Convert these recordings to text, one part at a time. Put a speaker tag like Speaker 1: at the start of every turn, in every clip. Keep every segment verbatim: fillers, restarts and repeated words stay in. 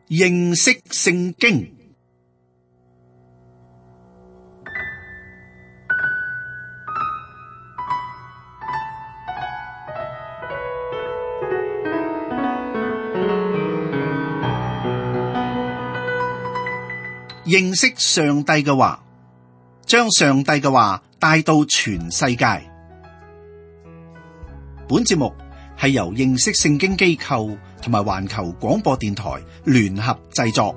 Speaker 1: 認識聖經。認識上帝嘅話，將上帝嘅話帶到全世界。本節目係由認識聖經機構同埋環球廣播電台聯合製作。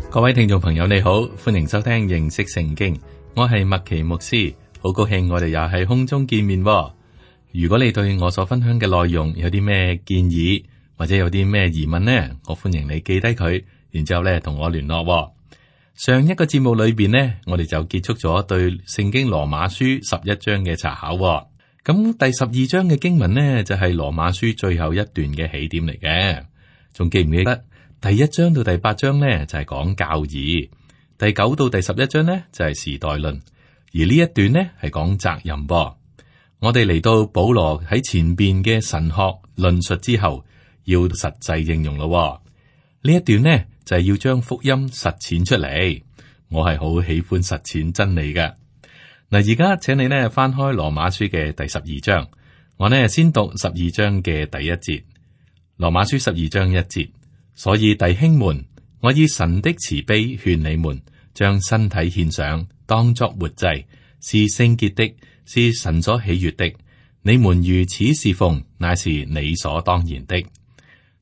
Speaker 2: 各位聽眾朋友，你好，歡迎收聽認識聖經。我係麥奇牧師，好高興我哋又喺空中見面。如果你對我所分享嘅內容有啲咩建議，或者有啲咩疑問呢，我歡迎你記低佢，然之後咧同我聯絡。上一個節目裏邊呢，我哋就結束咗對聖經羅馬書十一章嘅查考。咁第十二章嘅經文呢，就係羅馬書最後一段嘅起點嚟嘅。仲記唔記得第一章到第八章呢，就係講教義，第九到第十一章呢，就係時代論，而呢一段呢，係講責任噃。我哋嚟到保羅喺前邊嘅神學論述之後，要實際應用咯。呢一段呢，就係要將福音實踐出嚟。我係好喜歡實踐真理嘅。嗱，而家請你呢翻開羅馬書嘅第十二章，我呢先讀十二章嘅第一節。羅馬書十二章一節，所以弟兄們，我以神的慈悲勸你們，將身體獻上，當作活祭，是聖潔的，是神所喜悅的。你們如此侍奉，乃是理所當然的。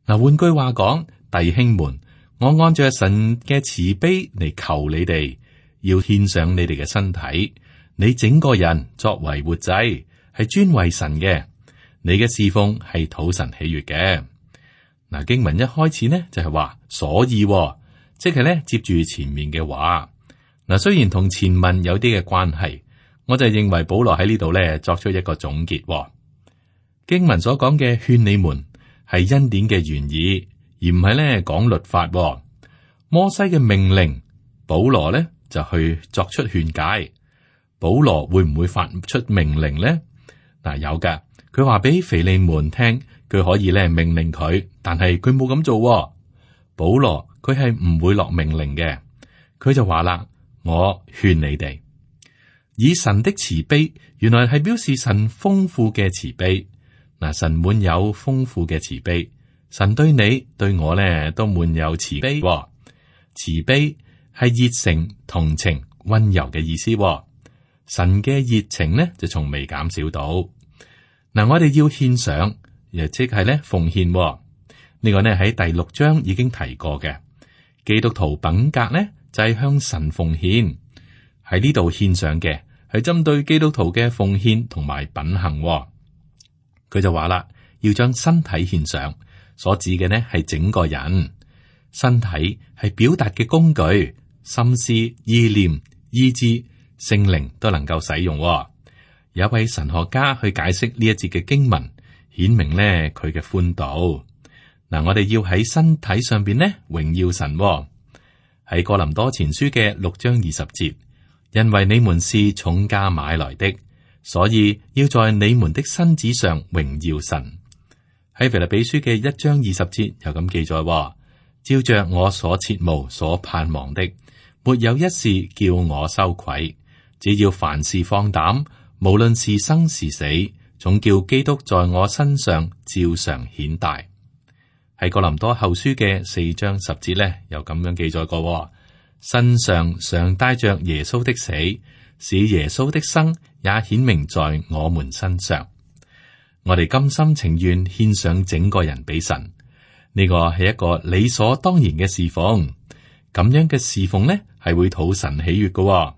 Speaker 2: 嗱，換句話講，弟兄們，我按照神嘅慈悲嚟求你哋，要獻上你哋嘅身體，你整個人作為活祭，係專為神嘅。你嘅侍奉係討神喜悅嘅。嗱，經文一開始呢就係話，所以即係咧接住前面嘅話。嗱，雖然同前文有啲嘅關係，我就認為保羅喺呢度咧作出一個總結。經文所講嘅勸你們係恩典嘅原意，而唔係咧講律法。摩西嘅命令，保羅咧就去作出勸解。保羅會唔會發出命令呢？嗱，有噶，佢話俾腓利門聽，佢可以咧命令佢，但係佢冇咁做。保羅佢係唔會落命令嘅，佢就話啦：我勸你哋以神的慈悲，原來係表示神豐富嘅慈悲。嗱，神滿有豐富嘅慈悲，神對你對我咧都滿有慈悲。慈悲係熱誠、同情、溫柔嘅意思。神嘅熱情呢就從未減少到。嗱，我哋要獻上，亦即係咧奉獻。呢個呢喺第六章已經提過嘅。基督徒品格呢就係向神奉獻，喺呢度獻上嘅係針對基督徒嘅奉獻同埋品行。佢就話啦，要將身體獻上，所指嘅呢係整個人。身體係表達嘅工具，心思、意念、意志、聖靈都能夠使用。有一位神學家去解釋呢一節嘅經文，顯明呢佢嘅寬度。嗱，我哋要喺身體上邊呢榮耀神。喺哥林多前書嘅六章二十節，因為你們是重價買來的，所以要在你們的身子上榮耀神。喺腓立比書嘅一章二十節又咁記載，照着我所切慕所盼望的，沒有一事叫我羞愧，只要凡事放膽，無論是生是死，總叫基督在我身上照常顯大。喺哥林多後書嘅四章十節咧，又咁樣記載過，身上常帶着耶穌的死，使耶穌的生也顯明在我們身上。我哋甘心情願獻上整個人俾神，呢個係一個理所當然嘅侍奉。咁樣嘅侍奉呢，係會討神喜悅嘅。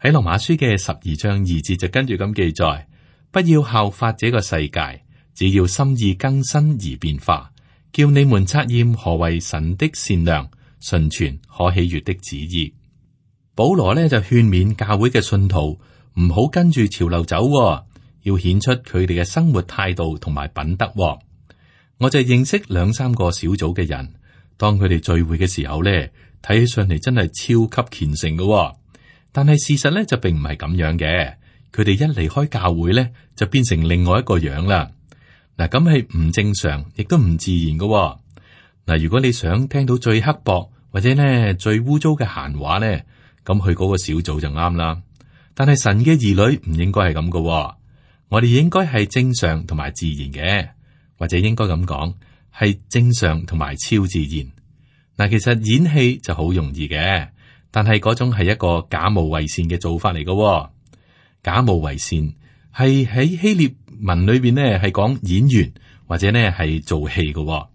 Speaker 2: 喺羅馬書嘅十二章二節就跟住咁記載，不要效法這個世界，只要心意更新而變化，叫你們察驗何為神的善良、純全、可喜悅的旨意。保羅呢就勸勉教會嘅信徒唔好跟住潮流走，要顯出佢哋嘅生活態度同埋品德。我就認識兩三個小組嘅人，當佢哋聚會嘅時候呢，睇起上嚟真係超級虔誠嘅。但係事實咧就並唔係咁樣嘅。佢哋一離開教會咧，就變成另外一個樣啦。嗱，咁係唔正常，亦都唔自然嘅。嗱，如果你想聽到最刻薄或者咧最污糟嘅閒話咧，咁去嗰個小組就啱啦。但係神嘅兒女唔應該係咁嘅，我哋應該係正常同埋自然嘅，或者應該咁講係正常同埋超自然。嗱，其實演戲就好容易嘅，但係嗰種係一個假冒為善嘅做法嚟嘅。假冒為善係喺希臘文裏邊呢，係講演員或者呢係做戲嘅。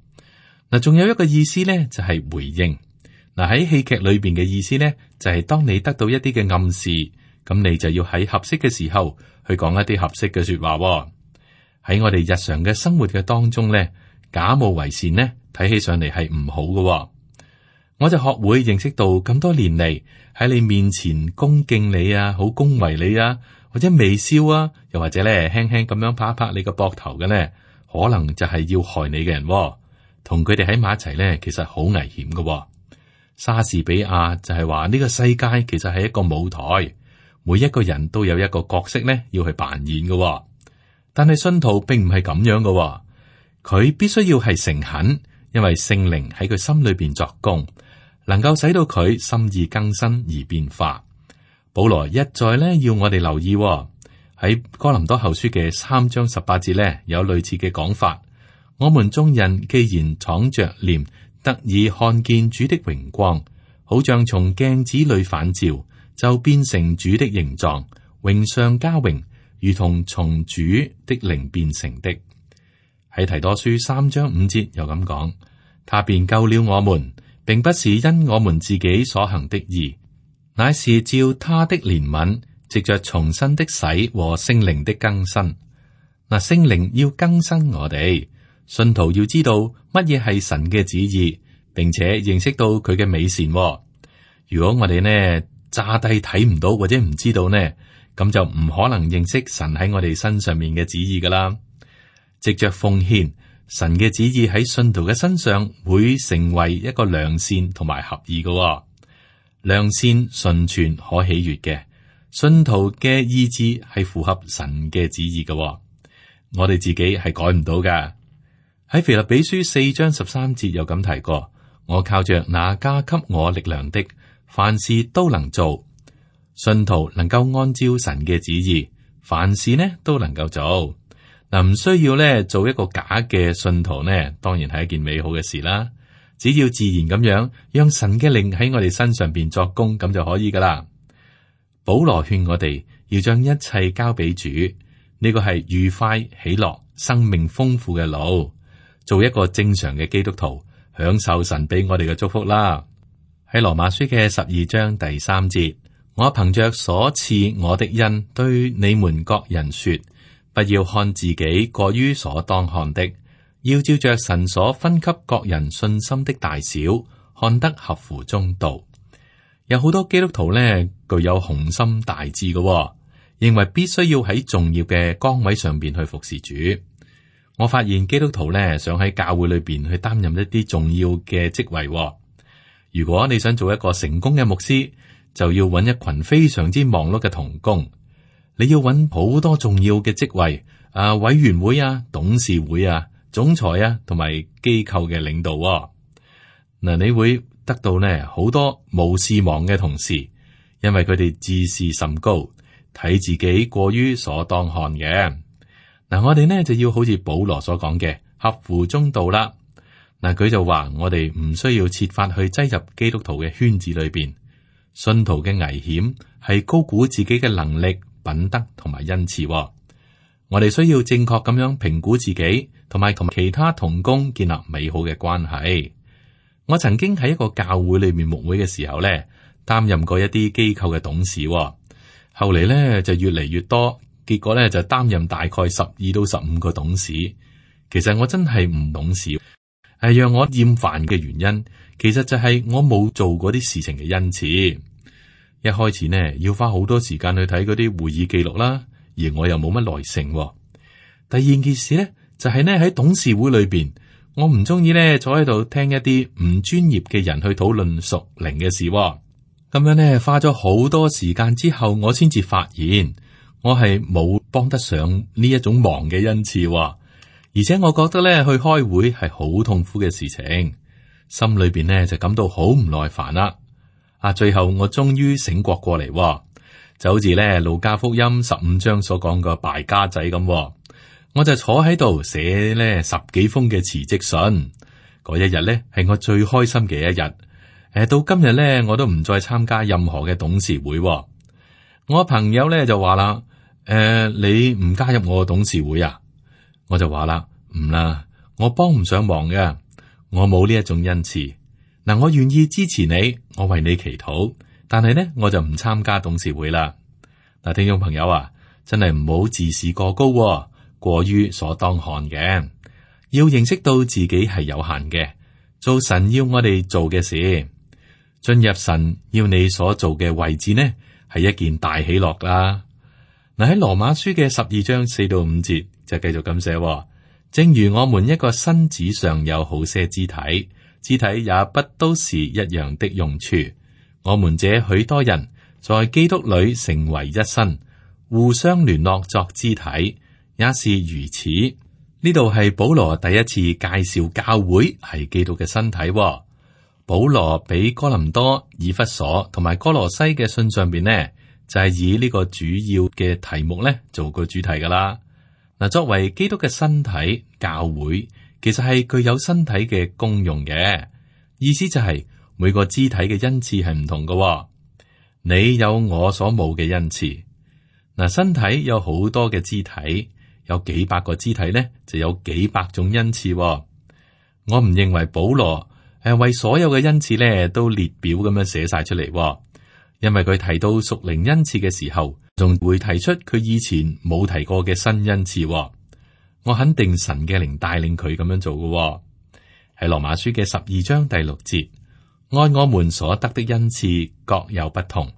Speaker 2: 嗱，仲有一個意思呢，就係回應。嗱，喺戲劇裏邊嘅意思呢，就係當你得到一啲嘅暗示，咁你就要喺合適嘅時候去講一啲合適嘅說話。喺我哋日常嘅生活嘅當中呢，假冒為善呢，睇起上嚟係唔好嘅。我就學會認識到咁多年嚟喺你面前恭敬你啊，好恭維你啊，或者微笑啊，又或者咧輕輕咁樣拍一拍你個膊頭嘅咧，可能就係要害你嘅人。同佢哋喺埋一齊咧，其實好危險嘅。莎士比亞就係話呢個世界其實係一個舞台，每一個人都有一個角色咧要去扮演嘅。但係信徒並唔係咁樣嘅，佢必須要係誠懇，因為聖靈喺佢心裏邊作工，能夠使到佢心意更新而變化。保羅一再咧要我哋留意喺哥林多後書嘅三章十八節咧有類似嘅講法。我們眾人既然敞着臉，得以看見主的榮光，好像從鏡子裏反照，就變成主的形狀，榮上加榮，如同從主的靈變成的。喺提多書三章五節又咁講，他便救了我們，並不是因我們自己所行的義，乃是照他的憐憫，藉着重生的洗和聖靈的更新。嗱，聖靈要更新我哋，信徒要知道乜嘢係神嘅旨意，並且認識到佢嘅美善。如果我哋呢詐諦睇唔到或者唔知道呢，咁就唔可能認識神喺我哋身上面嘅旨意噶啦。藉着奉獻，神嘅旨意喺信徒嘅身上會成為一個良善同埋合意嘅。良善、純全、可喜悅嘅信徒嘅意志係符合神嘅旨意嘅。我哋自己係改唔到噶。喺腓立比書四章十三節有咁提過，我靠着那加給我力量的，凡事都能做。信徒能夠按照神嘅旨意，凡事呢都能夠做。嗱，唔需要咧做一個假嘅信徒呢，當然係一件美好嘅事啦。只要自然咁樣，讓神嘅靈喺我哋身上邊作工，咁就可以噶啦。保羅勸我哋要將一切交俾主，呢個係愉快、喜樂、生命豐富嘅路。做一個正常嘅基督徒，享受神俾我哋嘅祝福啦。喺羅馬書嘅十二章第三節，我憑着所賜我的恩，對你們各人說，不要看自己過於所當看的，要照着神所分給各人信心的大小，看得合乎中道。有好多基督徒呢，具有雄心大志嘅，認為必須要喺重要嘅崗位上邊去服侍主。我發現基督徒呢，想喺教會裏邊去擔任一啲重要嘅職位。如果你想做一個成功嘅牧師，就要揾一群非常之忙碌嘅同工。你要揾好多重要嘅職位，啊，委員會啊、董事會啊、總裁啊，同埋機構嘅領導。嗱，你會得到呢好多無事忙嘅同事，因為佢哋自視甚高，睇自己過於所當看嘅。嗱，我哋呢就要好似保羅所講嘅，合乎中道啦。嗱，佢就話我哋唔需要設法去擠入基督徒嘅圈子裏邊。信徒嘅危險係高估自己嘅能力、品德同埋恩賜。我哋需要正確咁樣評估自己，同埋同其他同工建立美好嘅關係。我曾經喺一個教會裏面牧會嘅時候咧，擔任過一啲機構嘅董事。後嚟咧就越嚟越多。結果咧就擔任大概十二到十五個董事。其實我真係唔懂事，係讓我厭煩嘅原因，其實就係我冇做嗰啲事情嘅恩賜。一開始呢，要花好多時間去睇嗰啲會議記錄啦，而我又冇乜耐性。第二件事咧就係呢，喺董事會裏邊，我唔中意咧坐喺度聽一啲唔專業嘅人去討論屬靈嘅事。咁樣呢，花咗好多時間之後，我先至發現我係冇幫得上呢一種忙嘅恩賜，而且我覺得咧去開會係好痛苦嘅事情，心裏邊呢就感到好唔耐煩啦。啊，最後我終於醒覺過嚟，就好似咧路加福音十五章所講嘅敗家仔咁，我就坐喺度寫咧十幾封嘅辭職信。嗰一日咧係我最開心嘅一日。誒，到今日咧我都唔再參加任何嘅董事會。我朋友咧就話啦：誒、呃，你唔加入我嘅董事會啊？我就話啦：唔啦，我幫唔上忙嘅，我冇呢一種恩賜。嗱，我願意支持你，我為你祈禱，但係呢，我就唔參加董事會啦。嗱，聽眾朋友啊，真係唔好自視過高，過於所當看嘅，要認識到自己係有限嘅，做神要我哋做嘅事，進入神要你所做嘅位置呢，係一件大喜樂啦。嗱，喺羅馬書嘅十二章四到五節就繼續咁寫，正如我們一個身子上有好些肢體，肢體也不都是一樣的用處。我們這許多人在基督裏成為一身，互相聯絡作肢體，也是如此。呢度係保羅第一次介紹教會係基督嘅身體。保羅俾哥林多、以弗所同埋哥羅西嘅信上邊呢，就係以呢個主要嘅題目咧做個主題噶啦。嗱，作為基督嘅身體，教會其實係具有身體嘅功用嘅，意思就係每個肢體嘅恩賜係唔同嘅。你有我所冇嘅恩賜。嗱，身體有好多嘅肢體，有幾百個肢體咧，就有幾百種恩賜。我唔認為保羅誒為所有嘅恩賜咧都列表咁樣寫晒出嚟，因為佢提到屬靈恩賜嘅時候，仲會提出佢以前冇提過嘅新恩賜。我肯定神嘅靈帶領佢咁樣做嘅。喺羅馬書嘅十二章第六節，按我們所得的恩賜各有不同，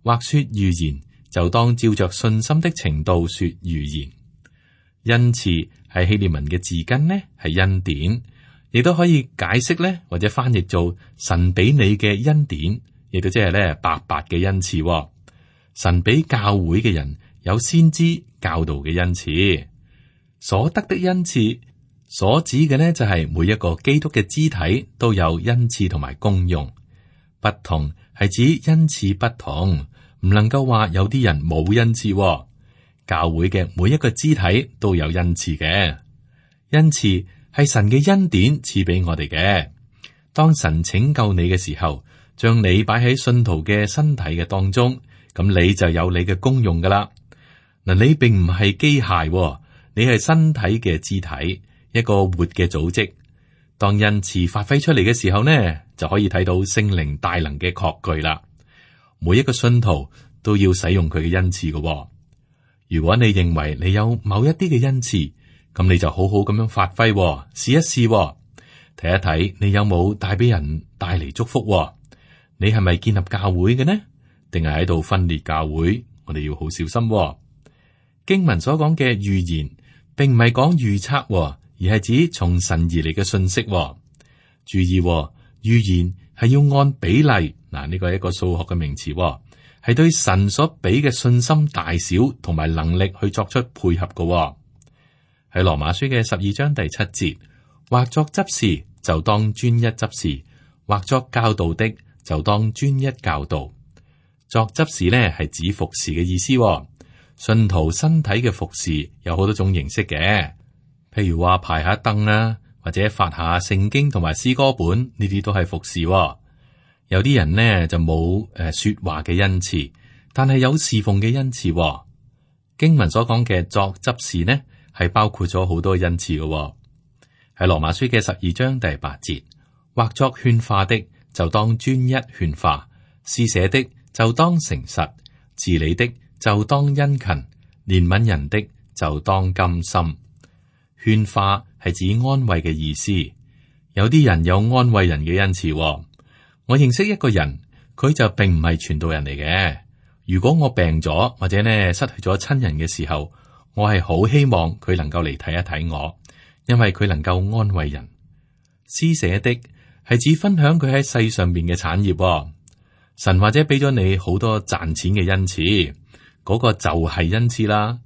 Speaker 2: 或說預言，就當照着信心的程度說預言。恩賜係希臘文嘅字根呢，係恩典，亦都可以解釋咧，或者翻譯做神俾你嘅恩典，亦都即係咧白白嘅恩賜。神俾教會嘅人有先知教導嘅恩賜，所得的恩賜所指嘅呢，就係每一個基督嘅肢體都有恩賜同埋功用。不同係指恩賜不同，唔能夠話有啲人冇恩賜。教會嘅每一個肢體都有恩賜嘅，恩賜係神嘅恩典賜俾我哋嘅。當神拯救你嘅時候，將你擺喺信徒嘅身體嘅當中，咁你就有你嘅功用噶啦。嗱，你並唔係機械，你係身體嘅肢體，一個活嘅組織。當恩賜發揮出嚟嘅時候呢，就可以睇到聖靈大能嘅確據啦。每一個信徒都要使用佢嘅恩賜嘅。如果你認為你有某一啲嘅恩賜，咁你就好好咁樣發揮，試一試，睇一睇你有冇帶俾人帶嚟祝福。你係咪建立教會嘅呢？定係喺度分裂教會？我哋要好小心。經文所講嘅預言，並唔係講預測，而係指從神而嚟嘅信息。注意，預言係要按比例，嗱，呢個係一個數學嘅名詞，係對神所俾嘅信心大小同埋能力去作出配合嘅。喺羅馬書嘅十二章第七節，或作執事就當專一執事，或作教導的就當專一教導。作執事呢係指服侍嘅意思。信徒身體嘅服侍有好多種形式嘅，譬如話排下凳啦，或者發下聖經同埋詩歌本，呢啲都係服侍。有啲人呢就冇誒說話嘅恩賜，但係有侍奉嘅恩賜。經文所講嘅作執事呢，係包括咗好多恩賜嘅。喺羅馬書嘅十二章第八節，或作勸化的就當專一勸化，施捨的就當誠實，治理的就當殷勤，憐憫人的就當甘心。勸化係指安慰嘅意思，有啲人有安慰人嘅恩賜。我認識一個人，佢就並唔係傳道人嚟嘅。如果我病咗或者呢失去咗親人嘅時候，我係好希望佢能夠嚟睇一睇我，因為佢能夠安慰人。施捨的係指分享佢喺世上邊嘅產業。神或者俾咗你好多賺錢嘅恩賜，嗰個就係恩賜啦。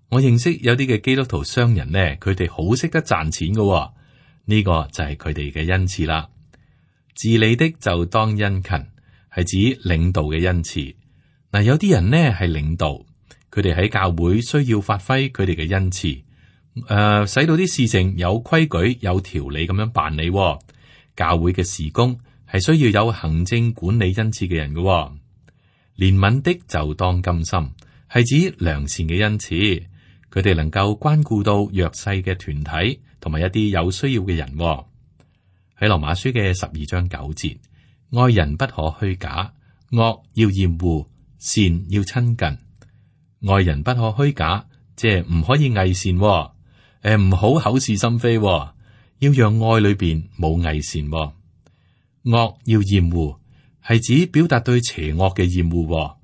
Speaker 2: 我認識有啲嘅基督徒商人呢，佢哋好識得賺錢嘅，呢個就係佢哋嘅恩賜啦。治理的就當殷勤，係指領導嘅恩賜。嗱，有啲人呢係領導，佢哋喺教會需要發揮佢哋嘅恩賜，誒、呃，使到啲事情有規矩、有條理咁樣辦理。教會嘅事工係需要有行政管理恩賜嘅人嘅。憐憫的就當甘心，係指良善嘅恩賜，佢哋能夠關顧到弱勢嘅團體同埋一啲有需要嘅人。喺羅馬書嘅十二章九節，愛人不可虛假，惡要厭惡，善要親近。愛人不可虛假，即係唔可以偽善，誒、呃，唔好口是心非，要讓愛裏邊冇偽善。惡要厭惡，係指表達對邪惡嘅厭惡。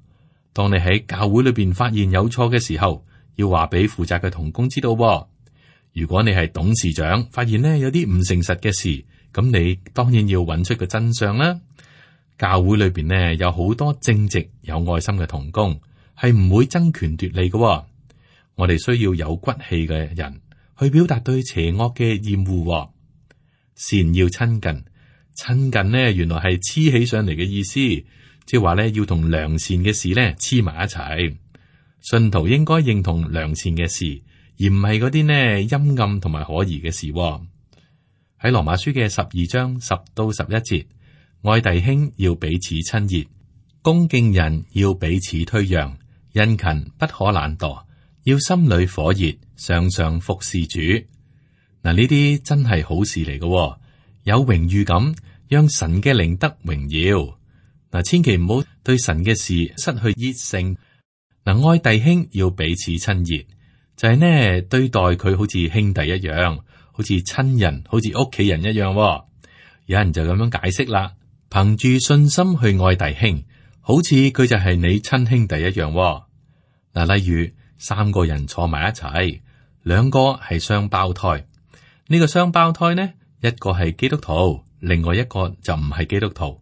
Speaker 2: 當你喺教會裏邊發現有錯嘅時候，要話俾負責嘅同工知道。如果你係董事長，發現呢有啲唔誠實嘅事，咁你當然要揾出個真相啦。教會裏邊呢有好多正直有愛心嘅同工，係唔會爭權奪利嘅。我哋需要有骨氣嘅人去表達對邪惡嘅厭惡。善要親近，親近呢原來係黐起上嚟嘅意思，即係話呢要同良善嘅事呢黐埋一齊。信徒應該認同良善嘅事，而唔係嗰啲呢陰暗同埋可疑嘅事。喺羅馬書嘅十二章十到十一節，愛弟兄要彼此親熱，恭敬人要彼此推讓，殷勤不可懶惰，要心裏火熱，常常服侍主。嗱，呢啲真係好事嚟嘅，有榮譽感，讓神嘅靈得榮耀。嗱，千祈唔好對神嘅事失去熱誠。嗱，愛弟兄要彼此親熱，就係、是、呢對待佢好似兄弟一樣。好似親人，好似屋企人一樣。有人就咁樣解釋啦，憑住信心去愛弟兄，好似佢就係你親兄弟一樣。嗱，例如三個人坐埋一齊，兩個係雙胞胎。呢個雙胞胎呢，一個係基督徒，另外一個就唔係基督徒。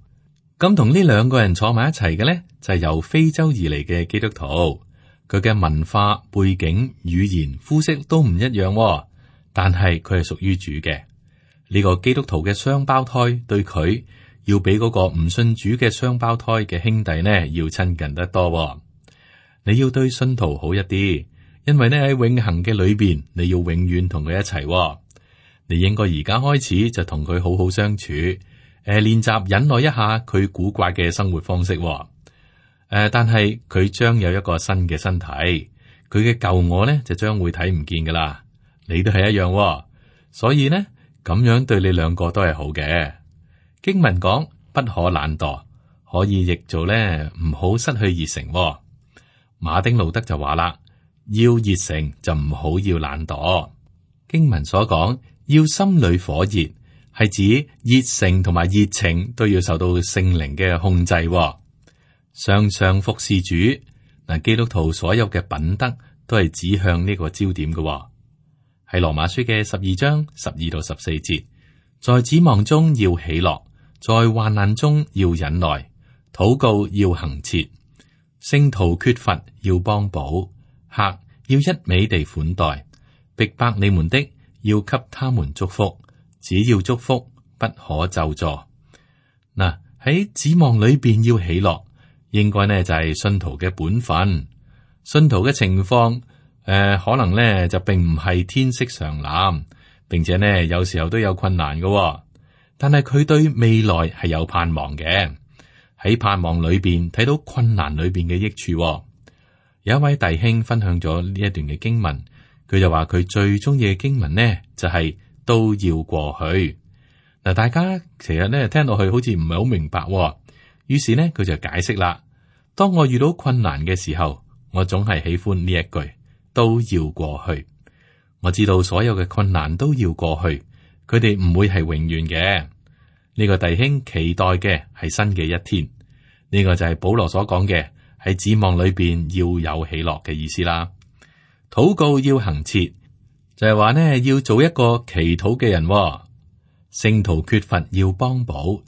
Speaker 2: 咁同呢兩個人坐埋一齊嘅呢，就係由非洲而嚟嘅基督徒。佢嘅文化背景、語言、膚色都唔一樣。但係佢係屬於主嘅。呢個基督徒嘅雙胞胎對佢要比嗰個唔信主嘅雙胞胎嘅兄弟呢要親近得多。你要對信徒好一啲，因為呢喺永恆嘅裏邊，你要永遠同佢一齊。你應該而家開始就同佢好好相處，誒、呃，練習忍耐一下佢古怪嘅生活方式。誒、呃，但係佢將有一個新嘅身體，佢嘅舊我呢就將會睇唔見噶啦。你都係一樣、哦，所以呢咁樣對你兩個都係好嘅。經文講不可懶惰，可以譯做呢唔好失去熱誠、哦。馬丁路德就話啦，要熱誠就唔好要懶惰。經文所講要心裏火熱，係指熱誠同埋熱情都要受到聖靈嘅控制、哦。常常服侍主，嗱，基督徒所有嘅品德都係指向呢個焦點嘅、哦。係羅馬書嘅十二章十二到十四節，在指望中要喜樂，在患難中要忍耐，禱告要恆切，聖徒缺乏要幫補，客要一味地款待，逼迫你們的要給他們祝福，只要祝福，不可咒詛。嗱，喺指望裏邊要喜樂，應該呢就係信徒嘅本分，信徒嘅情況。誒、呃，可能咧就並唔係天色常藍，並且呢有時候都有困難嘅、哦，但係佢對未來係有盼望嘅。喺盼望裏邊睇到困難裏邊嘅益處、哦。有一位弟兄分享咗呢一段嘅經文，佢就話佢最中意嘅經文呢就係、是、都要過去。嗱，大家其實呢聽落去好似唔係好明白、哦，於是呢佢就解釋啦。當我遇到困難嘅時候，我總係喜歡呢一句。都要過去，我知道所有嘅困難都要過去，佢哋唔會係永遠嘅。呢、這個弟兄期待嘅係新嘅一天，呢、這個就係保羅所講嘅喺指望裏邊要有喜樂嘅意思啦。禱告要恆切，就係話呢要做一個祈禱嘅人、哦。聖徒缺乏要幫補，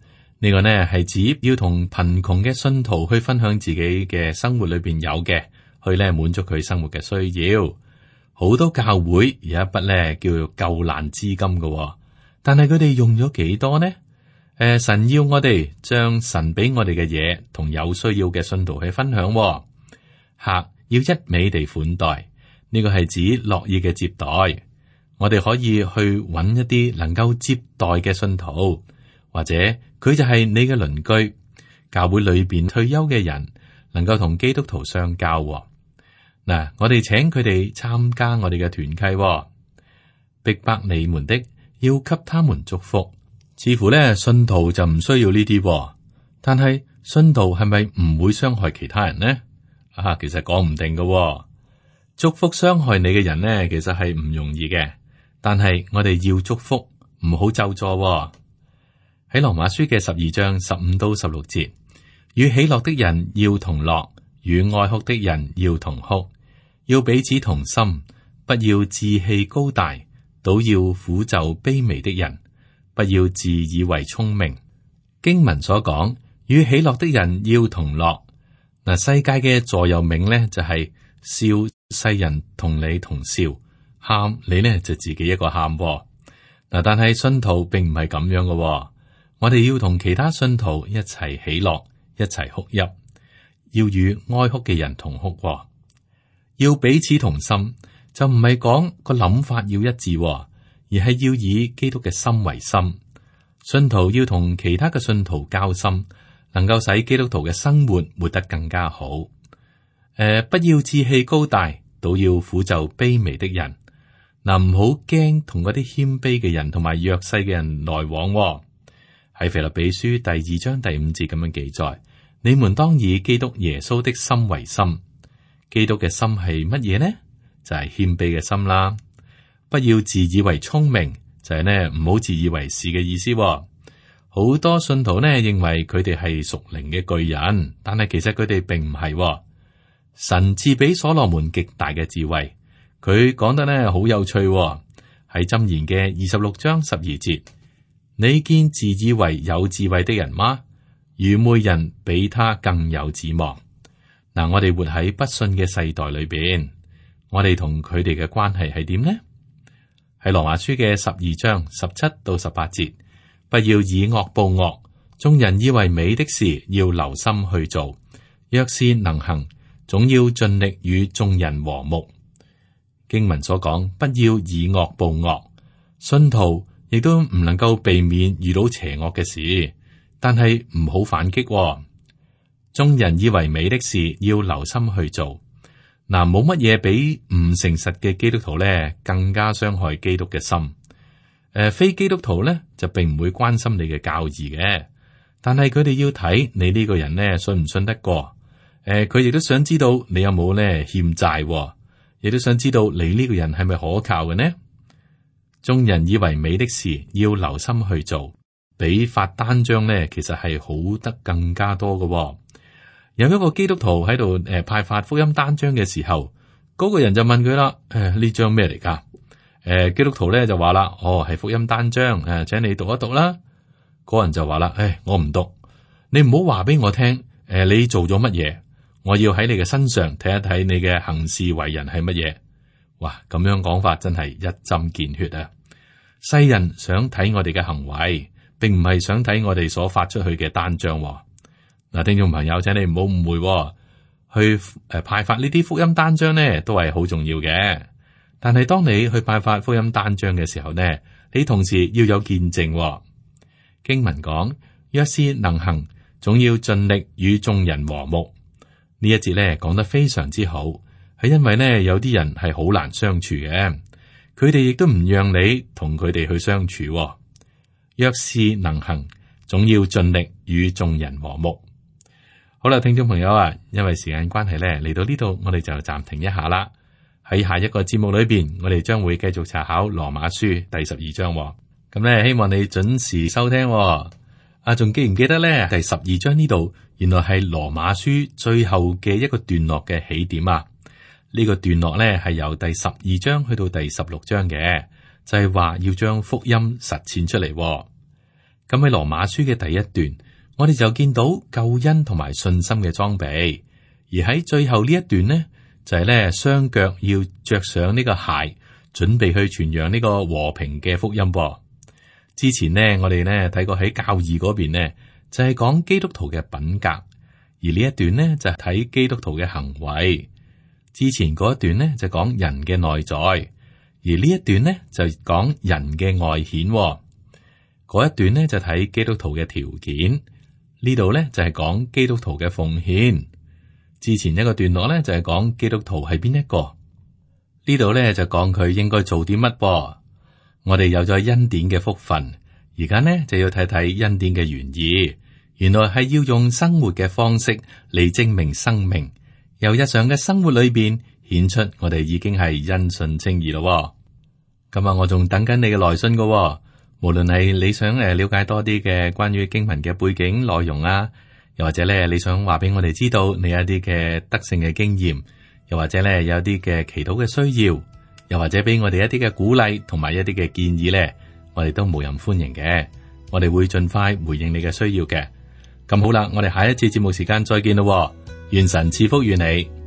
Speaker 2: 呢個呢係指要同貧窮嘅信徒去分享自己嘅生活裏邊有嘅，去咧滿足佢生活嘅需要。好多教會有一筆咧叫做救難資金嘅，但係佢哋用咗幾多呢？誒、呃，神要我哋將神俾我哋嘅嘢同有需要嘅信徒去分享。客要一味地款待，呢、這個係指樂意嘅接待。我哋可以去揾一啲能夠接待嘅信徒，或者佢就係你嘅鄰居，教會裏邊退休嘅人，能夠同基督徒相交。嗱，我哋請佢哋參加我哋嘅團契，逼迫你們的要給他們祝福。似乎咧，信徒就唔需要呢啲，但係信徒係咪唔會傷害其他人呢？啊，其實講唔定嘅。祝福傷害你嘅人呢，其實係唔容易嘅。但係我哋要祝福，唔好咒詛。喺羅馬書嘅十二章十五到十六節，與喜樂的人要同樂，與哀哭的人要同哭。要彼此同心，不要自棄高大，倒要俯就卑微的人，不要自以為聰明。經文所講，與喜樂的人要同樂。嗱，世界嘅座右銘呢，就係、是、笑，世人同你同笑；喊你呢，就自己一個喊。嗱，但係信徒並唔係咁樣嘅，我哋要同其他信徒一齊喜樂，一齊哭泣，要與哀哭嘅人同哭。要彼此同心，就唔係講個諗法要一致，而係要以基督嘅心為心。信徒要同其他嘅信徒交心，能夠使基督徒嘅生活活得更加好。誒、呃，不要志氣高大，倒要俯就卑微的人。嗱，唔好驚同嗰啲謙卑嘅人同埋弱勢嘅人來往。喺腓立比書第二章第五節咁樣記載：你們當以基督耶穌的心為心。基督嘅心係乜嘢呢？就係謙卑嘅心啦。不要自以為聰明，就係呢唔好自以為是嘅意思。好多信徒呢認為佢哋係屬靈嘅巨人，但係其實佢哋並唔係。神賜俾所羅門極大嘅智慧，佢講得呢好有趣。喺箴言嘅二十六章十二節，你見自以為有智慧的人嗎？愚昧人比他更有指望。嗱，我哋活喺不信嘅世代裏邊，我哋同佢哋嘅關係係點呢？喺羅馬書嘅十二章十七到十八節，不要以惡報惡，眾人以為美的事要留心去做，若是能行，總要盡力與眾人和睦。經文所講，不要以惡報惡，信徒亦都唔能夠避免遇到邪惡嘅事，但係唔好反擊。眾人以為美的事要留心去做。嗱，冇乜嘢比唔誠實嘅基督徒咧更加傷害基督嘅心。誒、呃，非基督徒咧就並唔會關心你嘅教義嘅，但係佢哋要睇你呢個人咧信唔信得過。誒、呃，佢亦都想知道你有冇咧欠債，亦都想知道你呢個人係咪可靠嘅呢？眾人以為美的事要留心去做，比發單張咧其實係好得更加多嘅。有一個基督徒喺度誒派發福音單張嘅時候，嗰、那個人就問佢啦：誒，呢張咩嚟噶？誒、呃，基督徒咧就話啦：哦，係福音單張，誒、呃，請你讀一讀啦。嗰人就話啦：誒，我唔讀，你唔好話俾我聽，誒、呃，你做咗乜嘢？我要喺你嘅身上睇一睇你嘅行事為人係乜嘢。哇，咁樣講法真係一針見血啊！世人想睇我哋嘅行為，並唔係想睇我哋所發出去嘅單張。嗱，聽眾朋友，請你唔好誤會，去誒派發呢啲福音單張呢，都係好重要嘅。但係當你去派發福音單張嘅時候呢，你同時要有見證。經文講，若是能行，總要盡力與眾人和睦。呢一節呢講得非常之好，係因為呢有啲人係好難相處嘅，佢哋亦都唔讓你同佢哋去相處。若是能行，總要盡力與眾人和睦。好啦，聽眾朋友啊，因為時間關係咧，嚟到呢度我哋就暫停一下啦。喺下一個節目裏邊，我哋將會繼續查考羅馬書第十二章。咁咧，希望你準時收聽。啊，仲記唔記得咧？第十二章呢度，原來係羅馬書最後嘅一個段落嘅起點啊。呢個段落咧係由第十二章去到第十六章嘅，就係話要將福音實踐出嚟。咁喺羅馬書嘅第一段。我哋就見到救恩同埋信心嘅裝備。而喺最後呢一段呢，就係咧雙腳要着上呢個鞋，準備去傳揚呢個和平嘅福音噃。之前呢，我哋呢睇過喺教義嗰邊呢，就係講基督徒嘅品格，而呢一段呢就係睇基督徒嘅行為。之前嗰一段呢就講人嘅內在，而呢一段呢就講人嘅外顯。嗰一段呢就睇基督徒嘅條件，呢度呢就係講基督徒嘅奉獻。之前一個段落咧就係講基督徒係邊一個，呢度咧就講佢應該做啲乜噃。我哋有咗恩典嘅福分，而家呢就要睇睇恩典嘅原意。原來係要用生活嘅方式嚟證明生命，由日常嘅生活裏邊顯出我哋已經係因信稱義咯。咁啊，我仲等緊你嘅來信噶，無論係你想誒了解多啲嘅關於經文嘅背景內容啊。又或者咧，你想話俾我哋知道你有一啲嘅得勝嘅經驗，又或者咧有一啲嘅祈禱嘅需要，又或者俾我哋一啲嘅鼓勵同埋一啲嘅建議咧，我哋都無任歡迎嘅。我哋會盡快回應你嘅需要嘅。咁好啦，我哋下一次節目時間再見咯。願神賜福於你。